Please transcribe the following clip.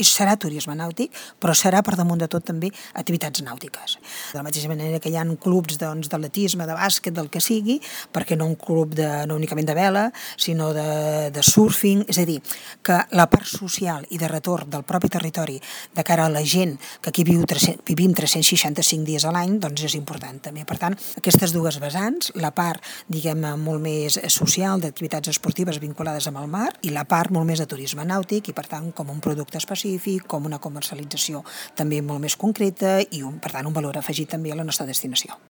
serà turisme nàutic, però serà per damunt de tot també activitats nàutiques. De la mateixa manera que hi ha clubs d'atletisme, de bàsquet, del que sigui, perquè no un club no únicament de vela, sinó de surfing, és a dir, que la part social i de retorn del propi territori de cara a la gent que aquí vivim 365 dies a l'any, doncs és important també. Per tant, aquestes dues vessants, la part, diguem, molt més social d'activitats esportives vinculades amb el mar i la part molt més de turisme nàutic i, per tant, com un producte específic, com una comercialització també molt més concreta i, per tant, un valor afegit també a la nostra destinació.